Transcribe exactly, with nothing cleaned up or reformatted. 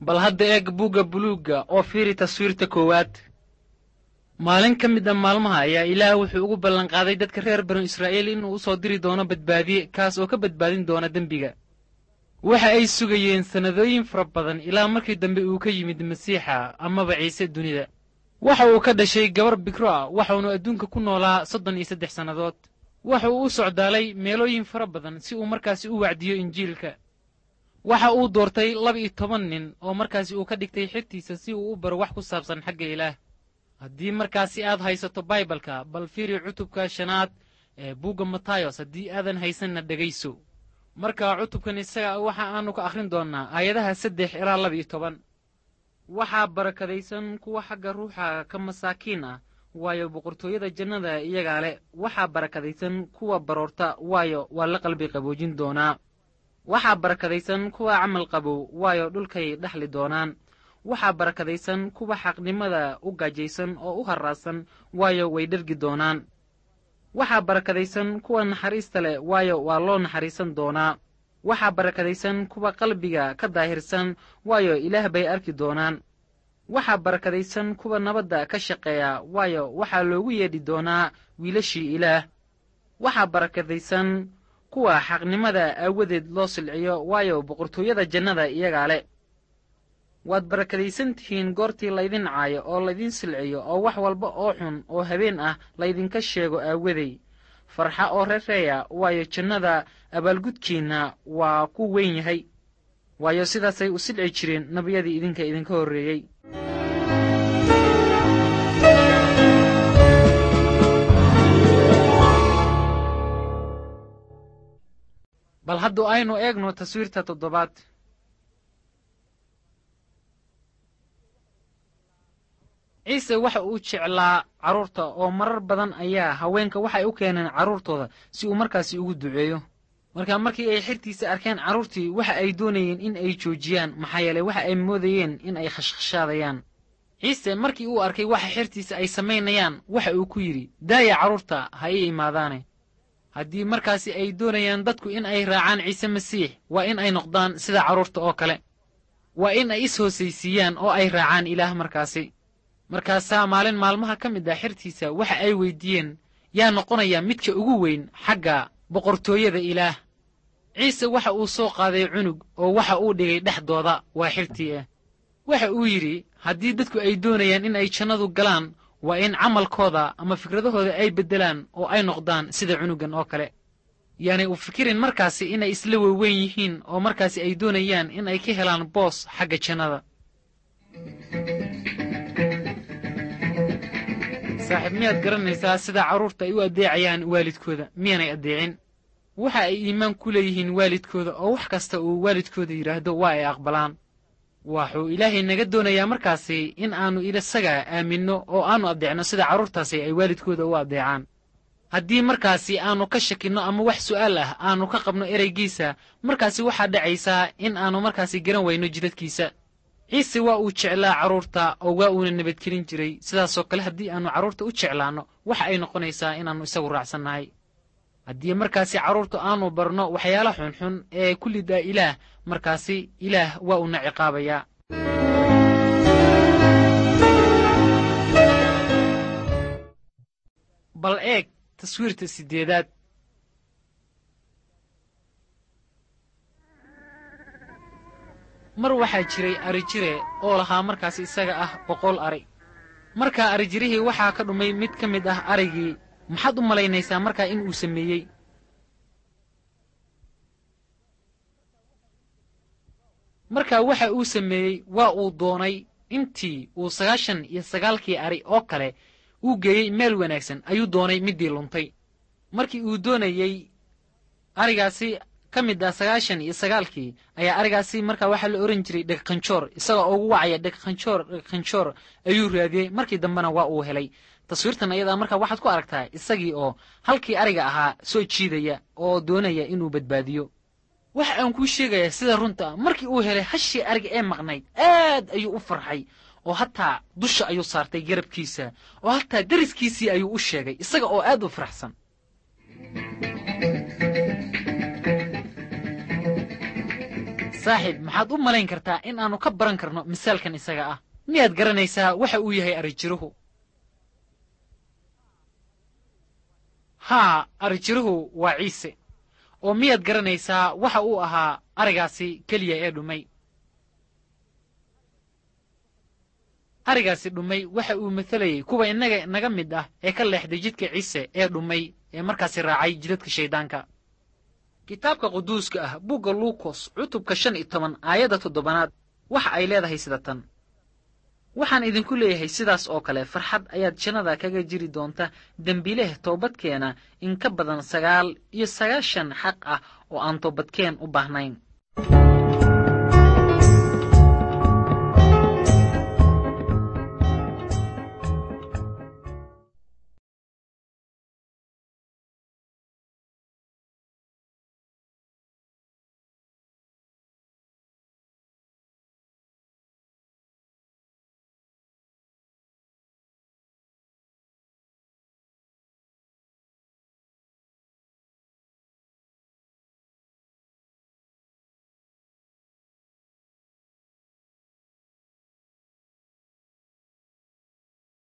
Bal hadda eeg buugga buluugga oo fiiri taswiirta koowaad. Maalin ka mid a maalmaha ayaa Ilaah wuxuu ugu ballanqaaday dadka reer banu Israa'iil inuu u soo diri doono badbaadiye, kaas oo ka badbaadin doona dembiga. Waxa ay sugayeen sannadooyin fara badan ilaa markii dambe uu ka yimid Masiixa amaba Ciise dunida. Waxa uu ka dhashay gabar bikro ah, waxaunu adduunka ku noolaa soddon iyo saddex sannadood. Waxa uu u socdaalay meelooyin fara badan si uu markaasi u wacdiyo Injiilka. Waxa uu doortay laba iyo toban nin oo markaasi uu ka dhigtay xigtiisa si uu u baro wax ku saabsan xagga Ilaah. Haddii markaasi aad haysato Baibalka, bal fiiri cutubka shanaad ee buugga Matayos, haddii aadan haysanna dhegayso. Marka cutubkan isaga waxa aanu ka akhrin doonnaa aayadaha saddex ilaa laba iyo toban. Waxaa barakadaysan kuwa xagga ruuxa ka masaakiin ah, waayo boqortooyada jannada iyagaa leh. Waxaa barakadaysan kuwa baroorta, waayo waa la qalbi qaboojin doonaa. Waxaa barakadaysan kuwa camal qabow, waayo dhulkay dhaxli doonaan. Waxaa barakadaysan kuwa xaqnimada u gaajaysan oo u harraadsan, waayo way dhergi doonaan. Waxaa barakadaysan kuwa naxariista leh, waayo waa loo naxariisan doonaa. Waxaa barakadaysan kuwa qalbiga ka daahirsan, waayo Ilaah bay arki doonaan. Waxaa barakadaysan kuwa nabadda ka shaqeeya, waayo waxaa loogu yeedhi doonaa wiilashii Ilaah. Waxaa barakadaysan kuwa xaqnimada aawadeed loo silciyo, waayo boqortooyada jannada iyagaa leh. Waad barakadaysan tihiin goortii laydin caayo oo laydin silciyo oo wax walba oo xun oo habeen ah laydinka sheego aawaday. Farxa oo rereeya, waayo jannada abaalgudkiinna waa ku weyn yahay. Waayo sidaasay u silci jireen nebiyadii idinka idinka horreeyey. Bal haddu aynu eegno taswiirta toddobaad. Ciise waxa uu jeclaa carruurta oo marar badan ayaa haweenka waxay u keeneen carruurtooda si uu markaasi ugu duceeyo. Marka markii ay xirtiisa arkeen carruurtii, waxa ay doonayeen in ay joojiyaan, maxaa yeelay waxa ay moodayeen in ay khashkhashaadayaan. Ciise markii uu arkay waxa xirtiisa ay samaynayaan, waxa uu ku yidhi, daaya carruurta ha ii imaadaane. Haddii markaasi ay doonayaan dadku in ay raacaan Ciise Masiix, waa in ay noqdaan sida carruurta oo kale. Waa in ay is-hoosaysiiyaan oo ay raacaan Ilaah markaasi. Markaasaa maalin maalmaha ka mid ah xirtiisa waxa ay weydiiyeen, yaa noqonaya midka ugu weyn xagga boqortooyada Ilaah? Ciise waxa uu soo qaaday cunug oo waxa uu dhigay dhexdooda, waa xirtii ah. Waxa uu yidhi, haddii dadku ay doonayaan in ay jannadu galaan, waa in camalkooda ama fikradahooda ay beddelaan oo ay noqdaan sida cunugan oo kale. Yaanay u fikirin markaasi inay isla weweyn yihiin oo markaasi ay doonayaan in ay ka helaan boos xagga jannada. Saaxiib, miyaad garanaysaa sida carruurta ay u addeecayaan waalidkooda? Miyaanay addeecin? Waxa ay iimaan ku leeyihiin waalidkooda oo wax kasta uu waalidkooda yidhaahdo waa ay aqbalaan. Waxuu Ilaahay naga doonayaa markaasi in aannu isaga aaminno oo aannu addeecno sida carruurtaasi ay waalidkooda u addeecaan. Haddii markaasi aannu ka shakinno ama wax su'aal ah aannu ka qabno ereygiisa, markaasi waxaa dhacaysaa in aannu markaasi garan weyno jidadkiisa. Ciise waa uu jeclaa carruurta oo waa uuna nabadgelin jiray. Sidaasoo kale haddii aannu carruurta u jeclaanno, waxa ay noqonaysaa inaannu isagu raacsannahay. Haddii markaasi carruurta aanu barno waxyaala xunxun ee ku lidaa Ilaah, markaasi Ilaah waa uuna ciqaabayaa. Bal eeg taswiirta siddeedaad. Mar waxaa jiray arijire oo lahaa markaasi isaga ah boqol ari. Markaa arijirihii waxaa ka dhumay mid ka mid ah arigii. Maxaad u malaynaysaa markaa in uu sameeyey? Markaa waxa uu sameeyey, waa uu doonay intii uu sagaashan iyo sagaalkii ari oo kale uu geeyey meel wanaagsan, ayuu doonay middii luntay. Markii uu doonayey arigaasi ka mid ah sagaashan iyo sagaalkii ayaa arigaasi markaa waxaa la ohan jiray dhegqanjoor. Isagoo ugu wacaya dhegqanjoor, dhegqanjoor ayuu raadiyey. Markii dambena waa uu helay. Taswiirtan ayadaa markaa waxaad ku aragtaa isagii oo halkii ariga ahaa soo jiidaya oo doonaya inuu badbaadiyo. Waxa aan kuu sheegayaa sida runta ah, markii uu helay hashii ariga ee maqnayd aad ayuu u farxay oo hataa dusha ayuu saartay garabkiisa oo hataa deriskiisii ayuu u sheegay isaga oo aad u faraxsan. Saaxiib, maxaad u malayn kartaa in aannu ka baran karno misaalkan isaga ah? Miyaad garanaysaa waxa uu yahay arijiruhu? Haa, arijiruhu waa Ciise. Oo miyaad garanaysaa waxa uu ahaa arigaasi keliya ee dhumay? Arigaasi dhumay waxa uu matelayey kuwa innaga naga mid ah ee ka leexday jidka Ciise ee dhumay ee markaasi raacay jidadka shayddaanka. Kitaabka Quduuska ah, buugga Luukos, cutubka shan iyo toban, aayadda toddobaad, waxa ay leedahay sida tan: Waxaan idinku leeyahay, sidaas oo kale farxad ayaad jannada kaga jiri doonta dembiileh toobadkeena in ka badan sagaal iyo sagaashan xaq ah oo aan toobadkeen u baahnayn.